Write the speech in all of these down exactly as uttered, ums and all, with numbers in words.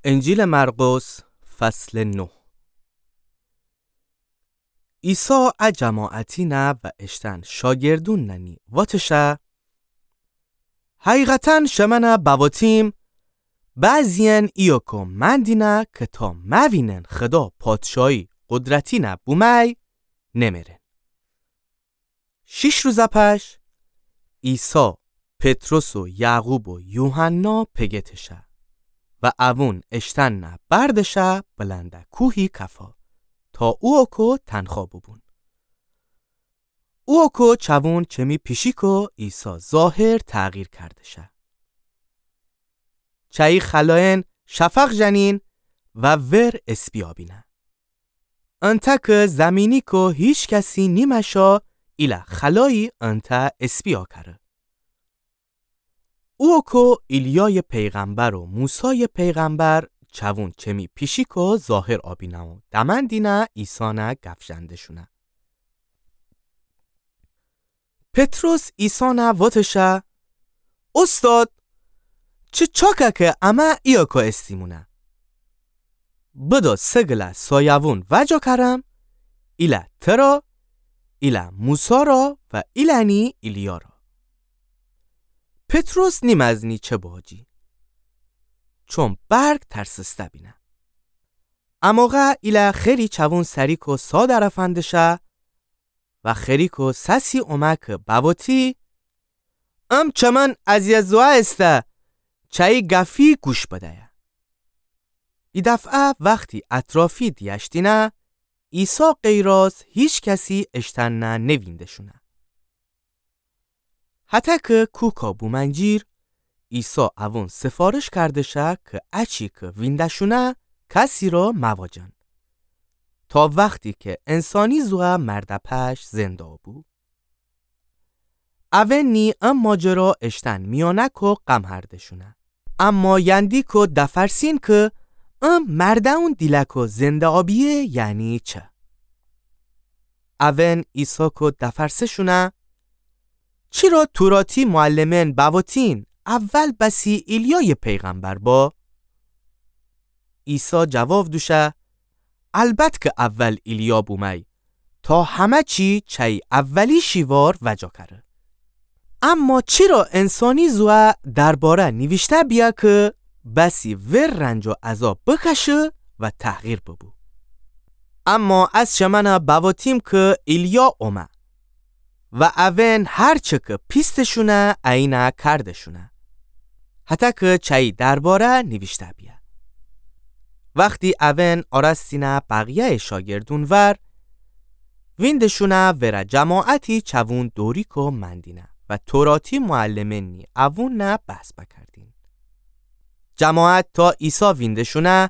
انجیلٚ مرقس، فصلٚ نه. عیسی ا جماعتینه و اشتأن شاگردوننی وتشه: حقیقتاً شمنه بوتیم، بعضی‌یأن ایوکو مأندینه که تا موینن خدا پادشاهی قدرتینه بومه‌یی، نمرن. شیش روز پش، عیسی پطرس و یعقوب و یوحنا پگه تشه و اوون اشتأنه بردشه بلنده کوهی کفا، تا اوکو تنها بوبون. اوکو چوون چمی پیشیکو عیسی ظاهر تغییر کردشه. چأیی خلایأن شفق ژنین و ور اسپی آبینه. انتأ که زمینیکو هیچ کسی نیمأشا، ایله خلایی انتأ اسپی آکره. اوکو ایلیایٚ پیغمبر و موسایٚ پیغمبر چوون چمی پیشیکو ظاهر آبینه و دمأندینه عیسانه گف ژنده‌شونه. پطرس عیسانه وتشه: اوستاد، چه چاکه که امه ایوکو استیمونه. بدو سه گله سایوون وجا کرم، ایله ترا، ایله موسی را و ایله‌نی ایلیا را. پطرس نیمأزنی چه باجی، چون برق ترسسته بینه. اموقع ایله خری چوون سریکو سا درفندشه و خریکو سسی اومه که بوتی: ام چمن از یه زوه ایسته، چأیی گفی گوش بدیه. ایدفعه وختی اطرافی دیأشتینه، عیسی غیر از هیچ کسی اشتأنه نوینده‌شونه. هتأ که کوکا بومنجیر، عیسی اوون سفارش کردشه که اچی که وینده‌شونه کسی را مواجن، تا وختی که انسانی زوه مرده پش زنده بو. اوئنی ام ماجرا اشتأن میانکو قم هرده‌شونه. اما یندیکو دفرسین که ام مرده‌ون دیلکو زنده آبیه یعنی چه؟ اوئن عیساکو دفرسه‌شونه: چی را توراتی معلمئن بوتین اول بسی ایلیایٚ پیغمبر با؟ عیسی جواب دوشه: البت که اول ایلیا بومه‌ی، تا همه چی چأیی اولی شیوار وجا کره. اما چی را انسانی زوه درباره نیویشته بیه که بسی ور رنج و عذاب بکشه و تحقیر ببو؟ اما از شمنه بوتیم که ایلیا اومه و اوئن هر چه که پیسته‌شونه اینه کرده‌شونه، هتأ که چأیی درباره نیویشته بیه. وختی اوئن آرستینه بقیه‌یٚ شاگردون ور، وینده‌شونه وره جماعتی چوون دوریکو مأندینه و توراتی معلمئنی اوونه بحث بکردین. جماعت تا عیسی وینده‌شونه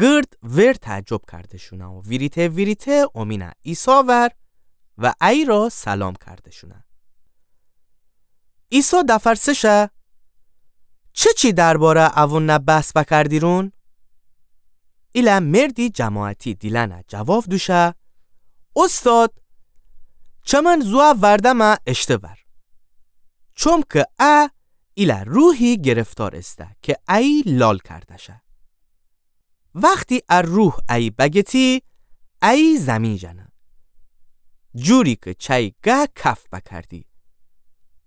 گرد ور تعجب کرده‌شونه و ویریته ویریته اومینه عیسی ور و ایی را سلام کرده‌شونه. عیسی دفرسه‌شه: چه چی درباره اوونه بحث بکردیرون؟ ایله مردی جماعتی دیلأنه جواب دوشه: اوستاد، چمن زوه وردمه اشته ور، چومکه ا ایله روحی گرفتار ایسته که ایی لال کرده‌شه. وختی ا روح ایی بگتی، ایی زیمین ژنه. جوری که چأیی گه کف بکردی،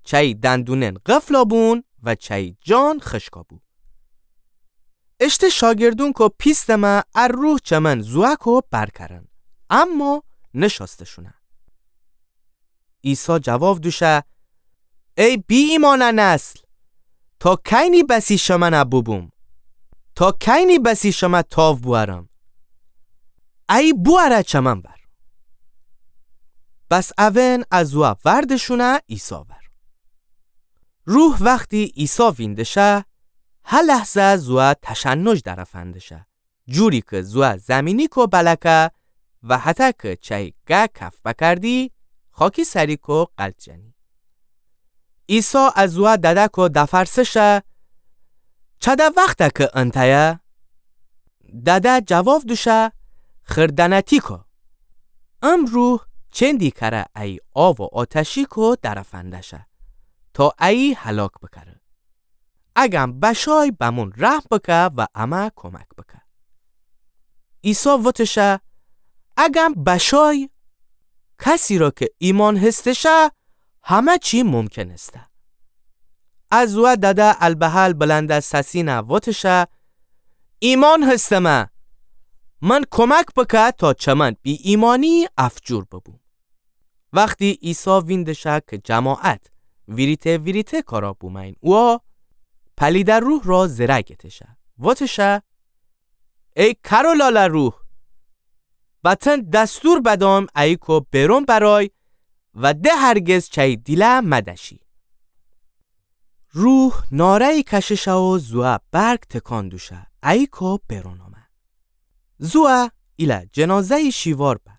چأیی دندونئن قفلا بون و چأیی جان خشکا بو. اشته شاگردونکو پیستمه ا روح چمن زوهکو بر کرن، اما نشأسته‌شونه. عیسی جواب دوشه: ای بی‌ایمأنه نسل، تا کینی بسی شمنه بوبوم؟ تا کینی بسی شمه تاو بوأرم؟ ایی بوأره چمن ور. بس اوئن ا زوه ورده‌شونه عیسی ور. روح وختی عیسی وینده‌شه، هه لحظه زوه تشنج درفنده‌شه، جوری که زوه زیمینیکو بلکه و هتأ که چأیی گه کف بکردی، خاکی سریکو غلط ژنی. عیسی ا زوه دده‌کو دفرسه‌شه: چده وخته که انتأیه؟ دده جواب دوشه: خیردنه‌تیکو. ام روح چندی کره ایی آو و آتشیکو درفنده‌شه، تا ایی هلاک بکره. اگم بشای بمون رحم بکه و امه کمک بکه. عیسی وتشه، اگم بشای، کسی را که ایمأن هستشه، همه چی ممکن استه. ا زوه دده البحل بلند سسینه وتشه، ایمأن هستمه، من کمک بکه تا چمن بی ایمأنی افجور ببوم. وختی عیسی ویندشه که جماعت ویریته ویریته کارا بومین اوه، پلیده روح را زره گتشه، وتشه، ای کار و لالا روح، بتن دستور بدأم ایکو بیرون برای و ده هرگز چأیی دیله مدشی. روح ناره‌یی کششه و زوه برک تکان دوشه، ایکو بیرون آمه. زوه ایله جنازه‌یی شیوار به،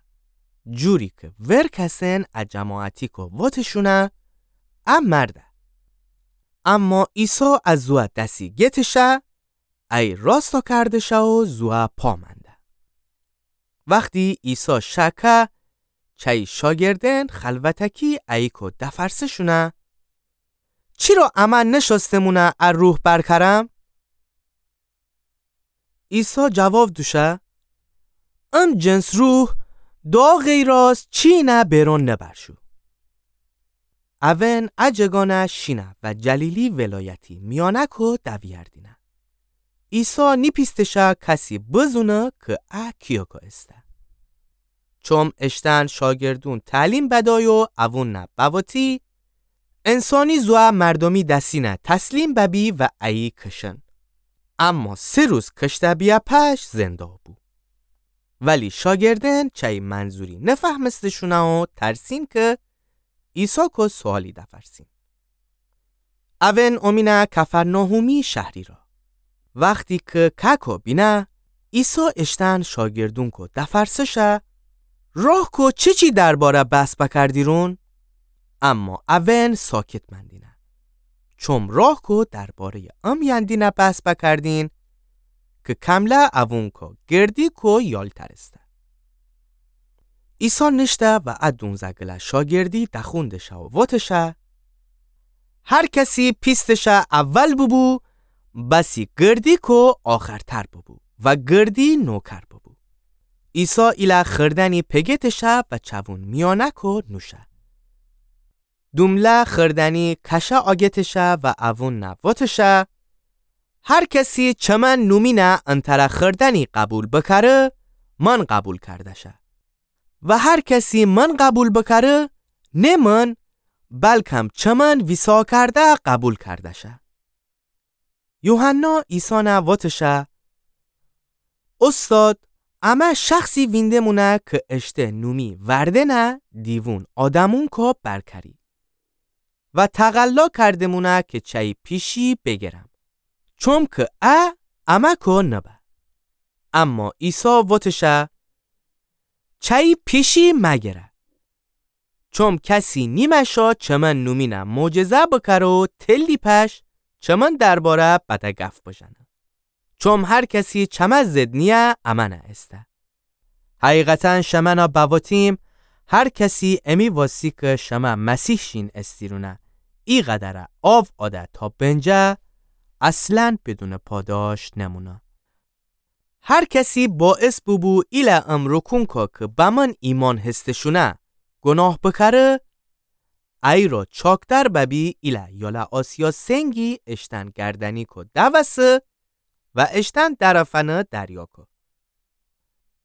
جوری که ورکسن ا جماعتیکو وتشونه ا مرده. اما عیسی ا زوه دسی گتشه، ای راستا کردشه و زوه پا منده. وختی عیسی شکه، چأیی شاگردن خلوتکی ایکو دفرسه‌شونه، چیرا امه نشأستمونه ا روح برکرم؟ عیسی جواب دوشه، ام جنس روح دعا غیراز چینه بیرون نبرشو. اون ا جگانه شینه و جلیلی ولایتی میانکو دویردینه. عیسی نیپیستشه کسی بزونه که ا کیوکو استه. چوم اشتن شاگردون تعلیم بدای و اوون بوتی، انسانی زوه مردمی دسینه تسلیم ببی و ایی کشن. اما سه روز کشته بیه پش زنده بو. ولی شاگردن چأیی منظوری نفهمستشونه و ترسین که عیساکو سوالی دفرسین. اون اومینه کفرناحومی شهری را. وختی که کاکو بینه، عیسی اشتن شاگردونکو دفرسشه، راهکو چیچی درباره بحث بکردیرون؟ اما اون ساکت مندینه. چوم راهکو درباره‌ی ام یندینه بحث بکردین، که کمله اوونکو گردیکو یالتر استه. عیسی نیشته و ا دونزه گله شاگردی دخوندشه و وتشه، هر کسی پیستشه اول ببو، بسی گردیکو آخرتر ببو و گردی نوکر ببو. عیسی ایله خردنی پگتشه و چوون میانکو نوشه. دومله خردنی کشه آگتشه و اوون وتشه، هر کسی چمن نومینه انتره خردنی قبول بکره، من قبول کردشه. و هر کسی من قبول بکره، نه من، بلکم چمن ویسا کرده قبول کردشه. یوحنا عیسی وتشه، استاد، امه شخصی وینده‌مونه که اشته نومی وردنه دیوون آدمونکو برکری و تقلا کرده‌مونه که چأیی پیشی بگرم، چوم که ا امه‌کو نبه. اما عیسی وتشه، چأیی پیشی مگره. چوم کسی نیمشا چمن نومینه معجزه بکره و تلی پش چمن درباره بده گف بژنه. چوم هر کسی چمه ضد نییه امنه استه. حقیقتا شمنه بوتیم، هر کسی امی واستی که شمه مسیح شین استیرونه، ایقدره آو آده تا بنجه، اصلا بدون پاداش نمونه. هر کسی باعث بوبو ایله ام رکونکو که بمن ایمأن هستشونه گناه بکره، ایرا چاکتر ببی ایله یاله آسیا سنگی اشتن گردنیکو دوسه و اشتن درفنه دریاکو.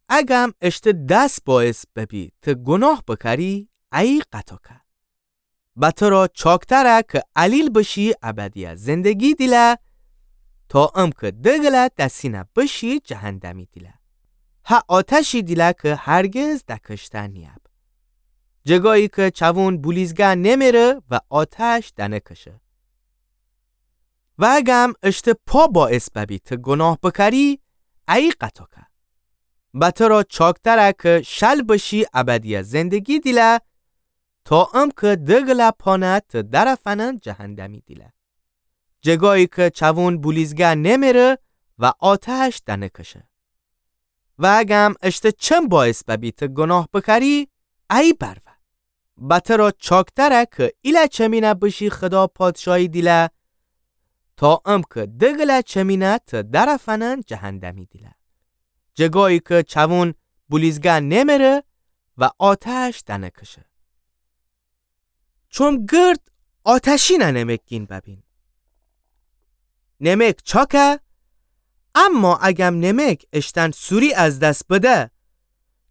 اگم اشته دس باعث ببی ته گناه بکری، ایی قطا که. به تره چاکتره که علیل بشی ابدیه زندگی دیله، تا امکه دگله دسینه بشی جهندمی دیله. هه آتشی دیله که هرگز دکشته نیب. جگایی که چوون بولیزگه نمره و آتش دنکشه. و اگم اشته پا باعث ببی ته گناه بکری، ایی قطا که. به تره چاکتره که شل بشی ابدیه زندگی دیله، تا امکه دگله پانه ته درفنن جهندمی دیله. جگایی که چوون بولیزگه نمره و آتش دنکشه. و اگم اشته چم باعث ببی ته گناه بکری، ایی برور. به تره چاکتره که ایله چمینه بشی خدا پادشاهی دیله، تا امکه دگله چمینه ته درفنن جهندمی دیله. جگایی که چوون بولیزگه نمره و آتش دنکشه. چوم گرد آتشینه نمکگین ببین. نمک چاکه، اما اگم نمک اشتن سوری از دس بده،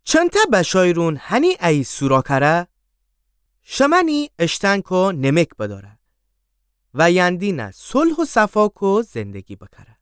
چنته بشایرون هنی ای سورا کره؟ شمنی اشتن کو نمک بداره و یندینه صلح و صفا کو زندگی بکره.